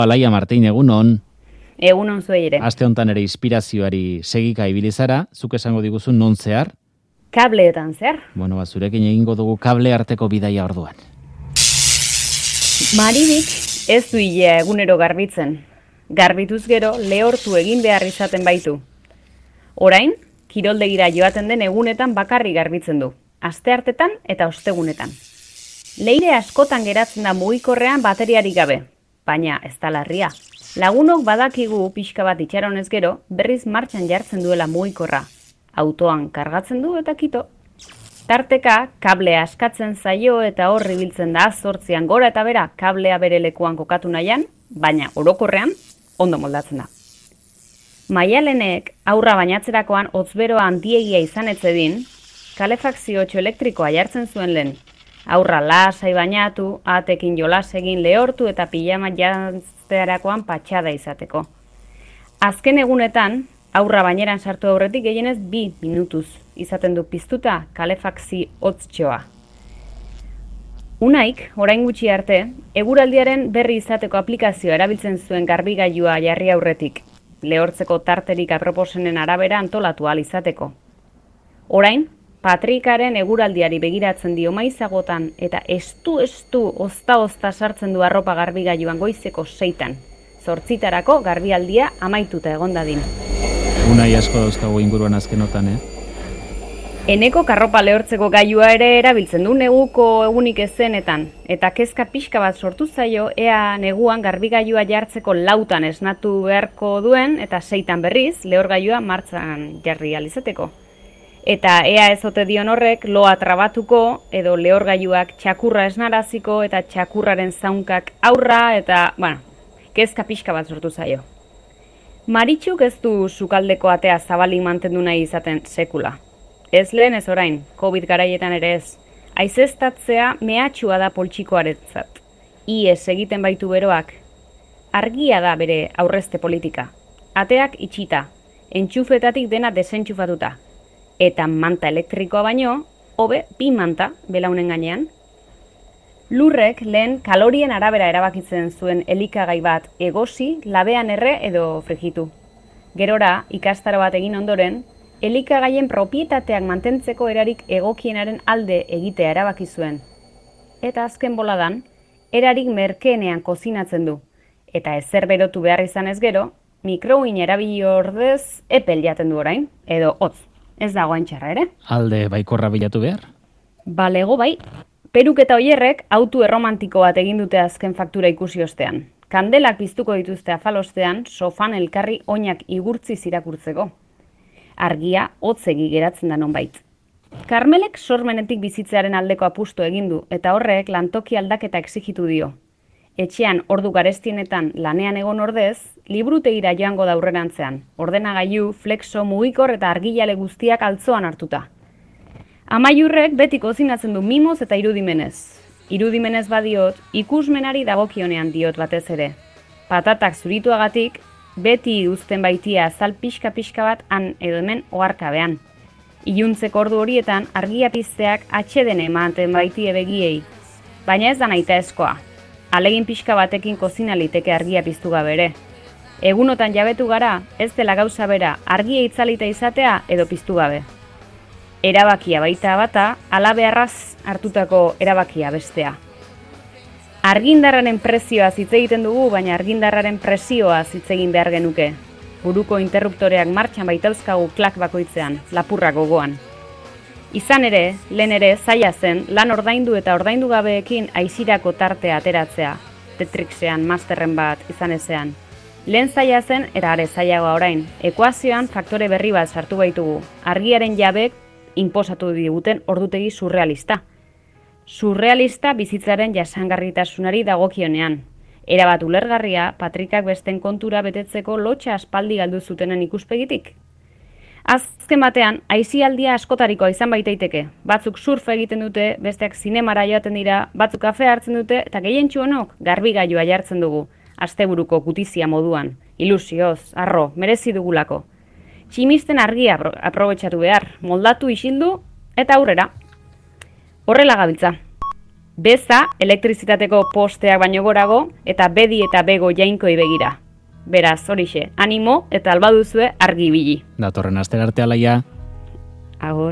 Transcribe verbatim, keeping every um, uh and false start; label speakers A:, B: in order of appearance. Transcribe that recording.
A: Alaia Martin, egunon.
B: Egunon zuei ere.
A: Aste hontan ere inspirazioari segika ibili zara, zuk esango diguzu non zehar?
B: Kableetan zehar.
A: Bueno, ba, zurekin egingo dugu kable arteko bidaia orduan.
B: Maribik ez du ilea egunero garbitzen. Garbituz gero lehortu egin behar izaten baitu. Orain, kiroldegira joaten den egunetan bakarri garbitzen du. Asteartetan eta ostegunetan. Leire askotan geratzen da mugikorrean bateriarik gabe, baina ez da larria. Lagunok badakigu pixka bat itxaronez gero, berriz martxan jartzen duela mugikorra. Autoan kargatzen du eta kito. Tarteka, kablea askatzen zaio eta horri biltzen da zortzian gora eta bera kablea bere lekuan kokatu nahian, baina orokorrean ondo moldatzen da. Maialenek aurra bainatzerakoan hotzberoa handiegia izan etzedin, kalefakzio elektrikoa jartzen zuen lehen. Aurra lasai bainatu, atekin jolas egin lehortu eta pijama jantztearakoan patxada izateko. Azken egunetan, aurra baineran sartu aurretik gehienez bi minutuz izaten du piztuta kalefakzi hotztxoa. Unaik, orain gutxi arte, eguraldiaren berri izateko aplikazioa erabiltzen zuen garbigailua jarri aurretik, lehortzeko tarterik aproposenen arabera antolatu ahal izateko. Orain, Patrikaren eguraldiari begiratzen dio maizagotan eta estu-estu ozta-ozta sartzen du arropa garbigailuan goizeko seitan. Zortzitarako garbialdia amaituta egon dadin.
A: Unai asko dauzkagu inguruan azkenotan, eh?
B: Eneko karropa lehortzeko gailua ere erabiltzen du neguko egunik ezenetan, eta kezka pixka bat sortu zaio ea neguan garbigailua jartzeko lautan esnatu beharko duen eta seitan berriz lehorgailua martxan jarri ahal izateko. Eta ea ez ote dion horrek loa trabatuko edo lehorgailuak txakurra esnaraziko eta txakurraren zaunkak aurra eta, bueno, kezka pixka bat sortu zaio. Maritxuk ez du sukaldeko atea zabalik mantendu nahi izaten sekula. Ez lehen ez orain, COVID garaietan ere ez. Aizeztatzea mehatxua da poltsikoaretzat. Iez egiten baitu beroak. Argia da bere aurrezte politika. Ateak itxita, entxufetatik dena desentxufatuta. Eta manta elektrikoa baino, hobe bi manta belaunen gainean. Lurrek lehen kalorien arabera erabakitzen zuen elikagai bat egosi, labean erre edo frijitu. Gerora, ikastaro bat egin ondoren, elikagaien propietateak mantentzeko erarik egokienaren alde egitea erabaki zuen. Eta azken boladan, erarik merkeenean kozinatzen du. Eta ezer berotu behar izan ez gero, mikrouin erabili ordez epel jaten du orain, edo hotz. Ez dago txarra ere.
A: Alde baikorra bilatu behar?
B: Balego bai. Peruk eta oierrek autu erromantiko bat egin dute azken faktura ikusi ostean. Kandelak piztuko dituzte afalostean, sofan elkarri oinak igurtzi irakurtzeko. Argia hotzegi geratzen da nonbait. Karmelek sormenetik bizitzearen aldeko apustu egin du eta horrek lantoki aldaketa exigitu dio. Etxean ordu garestienetan lanean egon ordez, liburutegira joango da aurrerantzean, ordenagailu, flexo, mugikor eta argilale guztiak altzoan hartuta. Amaiurrek beti kozinatzen du mimoz eta irudimenez. Irudimenez badiot, ikusmenari dagokionean diot batez ere. Patatak zurituagatik, beti uzten baitia azal pixka-pixka bat han edo hemen oharkabean. Iluntzeko ordu horietan argia pizteak atxeden ematen baitie begiei, baina ez da nahitaezkoa. Alegin pixka batekin kozina liteke argia piztu gabe ere. Egunotan jabetu gara, ez dela gauza bera argia itzalita izatea edo piztu gabe. Erabakia baita bata, ala beharraz hartutako erabakia bestea. Argindarraren prezioa hitz egiten dugu, baina argindarraren presioa hitz egin behar genuke. Buruko interruptoreak martxan baitauzkagu klak bakoitzean, lapurra gogoan. Izan ere, lehen ere, zaila zen, lan ordaindu eta ordaindu gabeekin aizirako tartea ateratzea, Tetrixean, masterren bat izan ezean. Lehen zaila zen, era are zailagoa orain, ekuazioan faktore berri bat sartu baitugu, argiaren jabek inposatu diguten ordutegi surrealista. Surrealista bizitzaren jasangarritasunari dagokionean. Erabat ulergarria, Patrikak besten kontura betetzeko lotxa aspaldi galdu zutenen ikuspegitik. Azken batean, aisialdia askotarikoa izan baitaiteke. Batzuk surf egiten dute, besteak zinemara joaten dira, batzuk kafe hartzen dute, eta gehientsu honok garbigailua jartzen dugu, asteburuko gutizia moduan. Ilusioz, arro, merezi dugulako. Tximisten argia aprobetxatu behar, moldatu isildu eta aurrera. Horrela gabiltza. Beza, elektrizitateko posteak baino gorago, eta bedi eta bego jainkoi begira. Beraz, horixe, animo eta albaduzue argi ibili.
A: Datorren astera arte Alaia.
B: Agur.